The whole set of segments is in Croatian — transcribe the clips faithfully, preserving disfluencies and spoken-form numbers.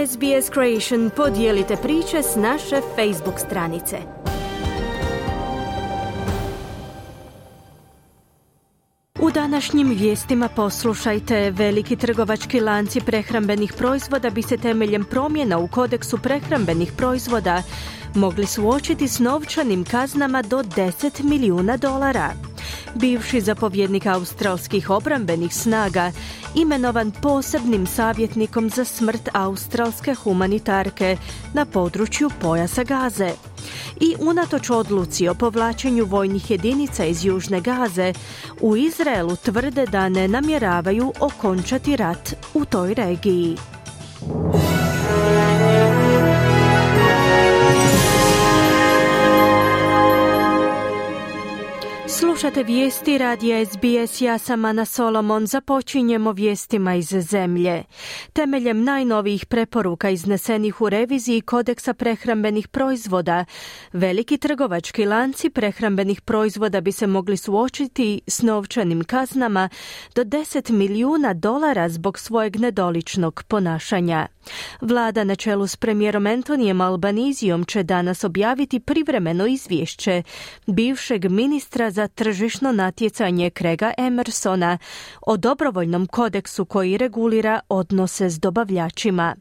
S B S Creation, podijelite priče s naše Facebook stranice. U današnjim vijestima poslušajte: veliki trgovački lanci prehrambenih proizvoda bi se temeljem promjena u kodeksu prehrambenih proizvoda mogli suočiti s novčanim kaznama do deset milijuna dolara. Bivši zapovjednik australskih obrambenih snaga imenovan posebnim savjetnikom za smrt australske humanitarke na području pojasa Gaze. I unatoč odluci o povlačenju vojnih jedinica iz Južne Gaze, u Izraelu tvrde da ne namjeravaju okončati rat u toj regiji. Slušate vijesti radija S B S, ja sam Ana Solomon. Započinjemo vijestima iz zemlje. Temeljem najnovijih preporuka iznesenih u reviziji kodeksa prehrambenih proizvoda, veliki trgovački lanci prehrambenih proizvoda bi se mogli suočiti s novčanim kaznama do deset milijuna dolara zbog svojeg nedoličnog ponašanja. Vlada na čelu s premijerom Antonijem Albanizijom će danas objaviti privremeno izvješće bivšeg ministra za tržišno natjecanje Craiga Emersona o dobrovoljnom kodeksu koji regulira odnose s dobavljačima.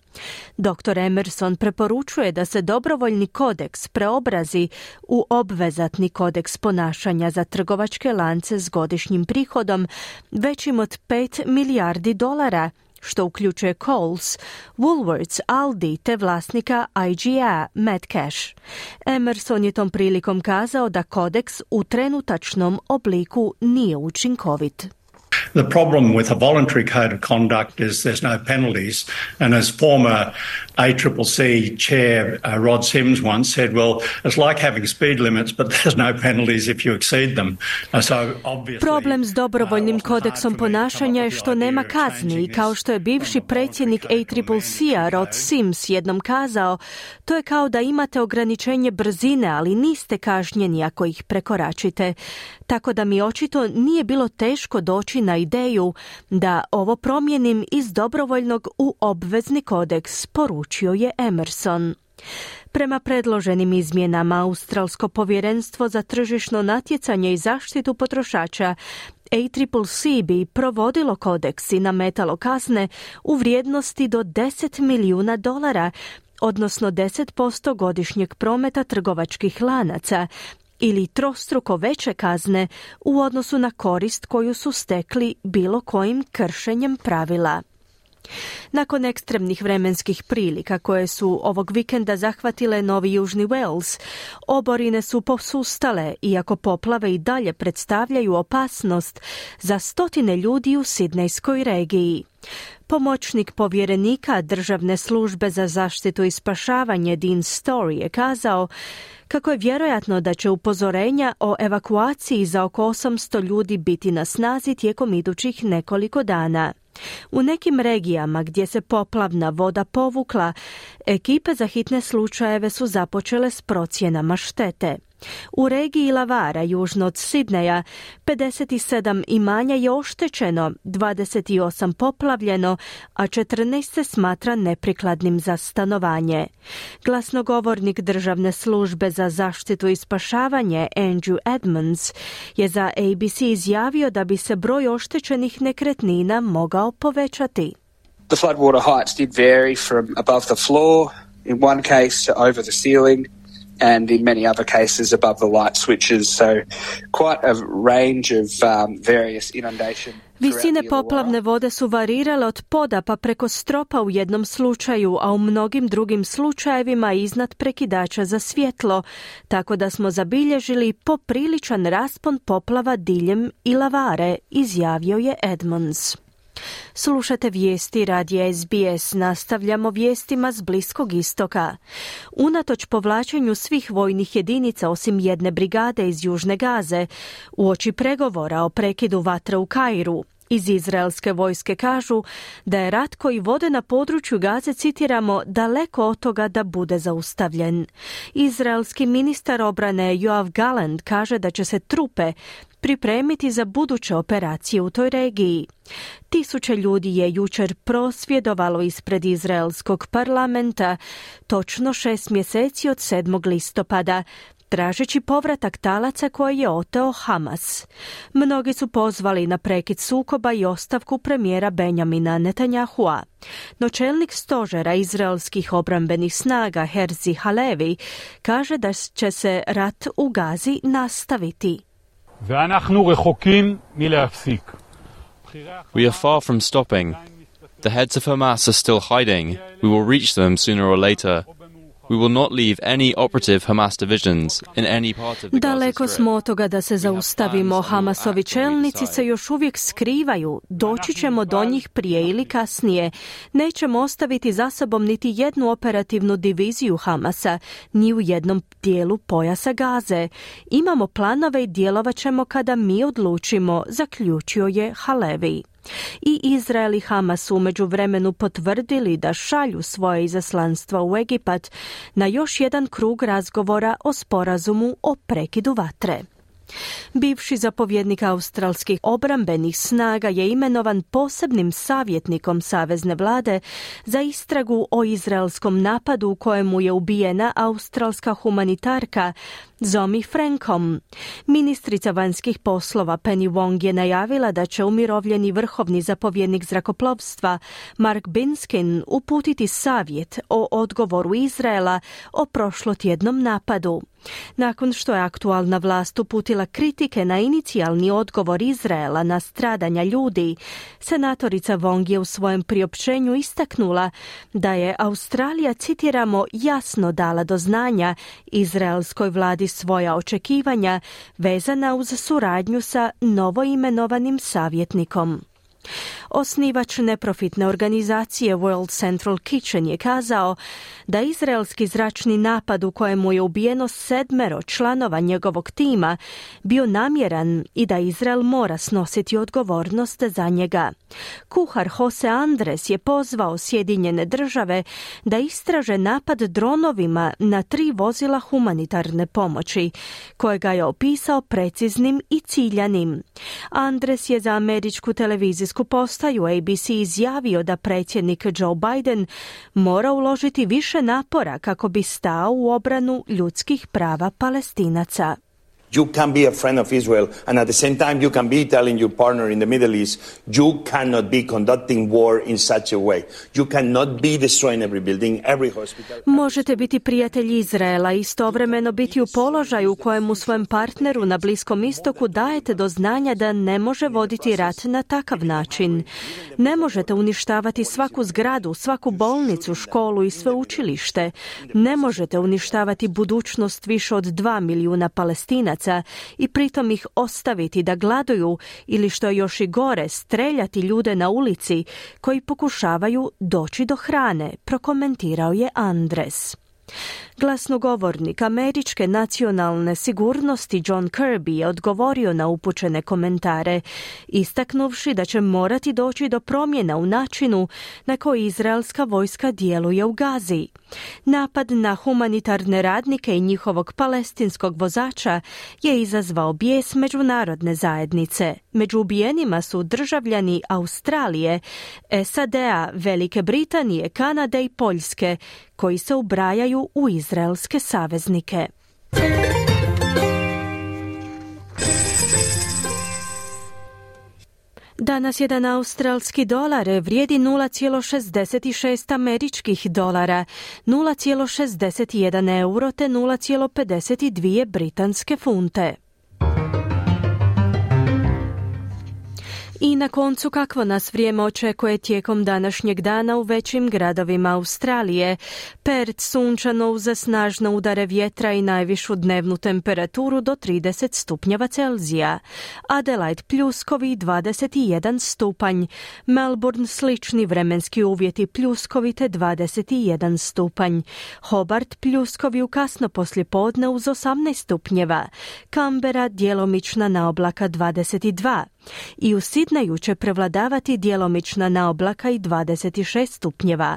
doktor Emerson preporučuje da se dobrovoljni kodeks preobrazi u obvezatni kodeks ponašanja za trgovačke lance s godišnjim prihodom većim od pet milijardi dolara, što uključuje Coles, Woolworths, Aldi te vlasnika I G A, Matt Cash. Emerson je tom prilikom kazao da kodeks u trenutačnom obliku nije učinkovit. The problem with a voluntary code of conduct is there's no penalties. And as former A C C C chair uh, Rod Sims once said, well, it's like having speed limits, but there's no penalties if you exceed them. Uh, so obviously, Problem s dobrovoljnim kodeksom ponašanja je što nema kazni i kao što je bivši predsjednik A C C C-a Rod Sims jednom kazao, to je kao da imate ograničenje brzine, ali niste kažnjeni ako ih prekoračite. Tako da mi očito nije bilo teško doći na ideju da ovo promijenim iz dobrovoljnog u obvezni kodeks, poručio je Emerson. Prema predloženim izmjenama, Australsko povjerenstvo za tržišno natjecanje i zaštitu potrošača A C C C bi provodilo kodeks i nametalo kazne u vrijednosti do deset milijuna dolara, odnosno deset posto godišnjeg prometa trgovačkih lanaca, ili trostruko veće kazne u odnosu na korist koju su stekli bilo kojim kršenjem pravila. Nakon ekstremnih vremenskih prilika koje su ovog vikenda zahvatile Novi Južni Wales, oborine su posustale, iako poplave i dalje predstavljaju opasnost za stotine ljudi u Sidnejskoj regiji. Pomoćnik povjerenika Državne službe za zaštitu i spašavanje Dean Story je kazao kako je vjerojatno da će upozorenja o evakuaciji za oko osamsto ljudi biti na snazi tijekom idućih nekoliko dana. U nekim regijama gdje se poplavna voda povukla, ekipe za hitne slučajeve su započele s procjenama štete. U regiji Illawarra, južno od Sidneja, pedeset sedam imanja je oštećeno, dvadeset osam poplavljeno, a četrnaest se smatra neprikladnim za stanovanje. Glasnogovornik Državne službe za zaštitu i spašavanje Andrew Edmonds je za A B C izjavio da bi se broj oštećenih nekretnina mogao povećati. The floodwater heights did vary from above the floor in one case to over the ceiling, and in many other cases above the light switches, so quite a range of um, various inundation. Visine poplavne vode su varirale od poda pa preko stropa u jednom slučaju, a u mnogim drugim slučajevima iznad prekidača za svjetlo, tako da smo zabilježili popriličan raspon poplava diljem Illawarre, izjavio je Edmonds. Slušate vijesti radija S B S, nastavljamo vijestima s Bliskog istoka. Unatoč povlačenju svih vojnih jedinica osim jedne brigade iz Južne Gaze, uoči pregovora o prekidu vatre u Kairu, Iz izraelske vojske kažu da je rat koji vode na području Gaze, citiramo, daleko od toga da bude zaustavljen. Izraelski ministar obrane Yoav Gallant kaže da će se trupe pripremiti za buduće operacije u toj regiji. Tisuće ljudi je jučer prosvjedovalo ispred izraelskog parlamenta, točno šest mjeseci od sedmog listopada, tražeći povratak talaca koje je oteo Hamas. Mnogi su pozvali na prekid sukoba i ostavku premijera Benjamina Netanyahua. No čelnik stožera izraelskih obrambenih snaga Herzi Halevi kaže da će se rat u Gazi nastaviti. We are far from stopping. The heads of Hamas are still hiding. We will reach them sooner or later. We will not leave any operative Hamas divisions in any part of the Gaza Daleko Strip. smo od toga da se zaustavimo. Hamasovi čelnici se još uvijek skrivaju. Doći ćemo do njih prije ili kasnije. Nećemo ostaviti za sobom niti jednu operativnu diviziju Hamasa, ni u jednom dijelu pojasa Gaze. Imamo planove i djelovat ćemo kada mi odlučimo, zaključio je Halevi. I Izrael i Hamas su u međuvremenu potvrdili da šalju svoje izaslanstva u Egipat na još jedan krug razgovora o sporazumu o prekidu vatre. Bivši zapovjednik australskih obrambenih snaga je imenovan posebnim savjetnikom savezne vlade za istragu o izraelskom napadu u kojemu je ubijena australska humanitarka Zomi Frankom. Ministrica vanjskih poslova Penny Wong je najavila da će umirovljeni vrhovni zapovjednik zrakoplovstva Mark Binskin uputiti savjet o odgovoru Izraela o prošlotjednom napadu. Nakon što je aktualna vlast uputila kritike na inicijalni odgovor Izraela na stradanja ljudi, senatorica Wong je u svojem priopćenju istaknula da je Australija, citiramo, jasno dala do znanja izraelskoj vladi svoja očekivanja vezana uz suradnju sa novoimenovanim savjetnikom. Osnivač neprofitne organizacije World Central Kitchen je kazao da izraelski zračni napad u kojemu je ubijeno sedmero članova njegovog tima bio namjeran i da Izrael mora snositi odgovornost za njega. Kuhar Jose Andres je pozvao Sjedinjene države da istraže napad dronovima na tri vozila humanitarne pomoći, kojega je opisao preciznim i ciljanim. Andres je za američku televizijsku postaju A B C izjavio da predsjednik Joe Biden mora uložiti više napora kako bi stao u obranu ljudskih prava Palestinaca. You can be a friend of Israel and at the same time you can be telling your partner in the Middle East you cannot be conducting war in such a way. You cannot be destroying every building, every hospital. Možete biti prijatelj Izraela i istovremeno biti u položaju u kojemu svojem partneru na Bliskom istoku dajete do znanja da ne može voditi rat na takav način. Ne možete uništavati svaku zgradu, svaku bolnicu, školu i sveučilište. Ne možete uništavati budućnost više od dva milijuna Palestinaca i pritom ih ostaviti da gladuju ili, što je još i gore, streljati ljude na ulici koji pokušavaju doći do hrane, prokomentirao je Andres. Glasnogovornik američke nacionalne sigurnosti John Kirby je odgovorio na upućene komentare, istaknuvši da će morati doći do promjena u načinu na koji izraelska vojska djeluje u Gazi. Napad na humanitarne radnike i njihovog palestinskog vozača je izazvao bijes međunarodne zajednice. Među ubijenima su državljani Australije, S A D-a, Velike Britanije, Kanade i Poljske, koji se ubrajaju u izraelske saveznike. Danas jedan australski dolar vrijedi nula zarez šezdeset šest američkih dolara, nula zarez šezdeset jedan euro te nula zarez pedeset dvije britanske funte. I na koncu, kakvo nas vrijeme očekuje tijekom današnjeg dana u većim gradovima Australije. Perth sunčano uz snažne udare vjetra i najvišu dnevnu temperaturu do trideset stupnjeva Celzija. Adelaide pljuskovi dvadeset jedan stupanj. Melbourne slični vremenski uvjeti pljuskovi te dvadeset jedan stupanj. Hobart pljuskovi u kasno poslijepodne uz osamnaest stupnjeva. Canberra djelomična naoblaka dvadeset dva. I u Sidneju će prevladavati djelomična naoblaka i dvadeset šest stupnjeva.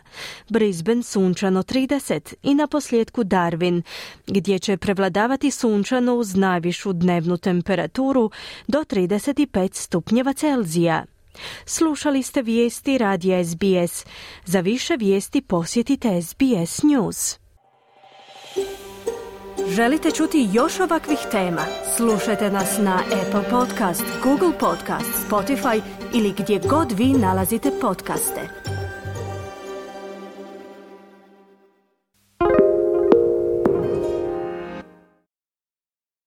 Brisbane sunčano trideset i na posljedku Darwin, gdje će prevladavati sunčano uz najvišu dnevnu temperaturu do trideset pet stupnjeva Celzija. Slušali ste vijesti radija S B S. Za više vijesti posjetite S B S News. Želite čuti još ovakvih tema? Slušajte nas na Apple Podcast, Google Podcast, Spotify ili gdje god vi nalazite podcaste.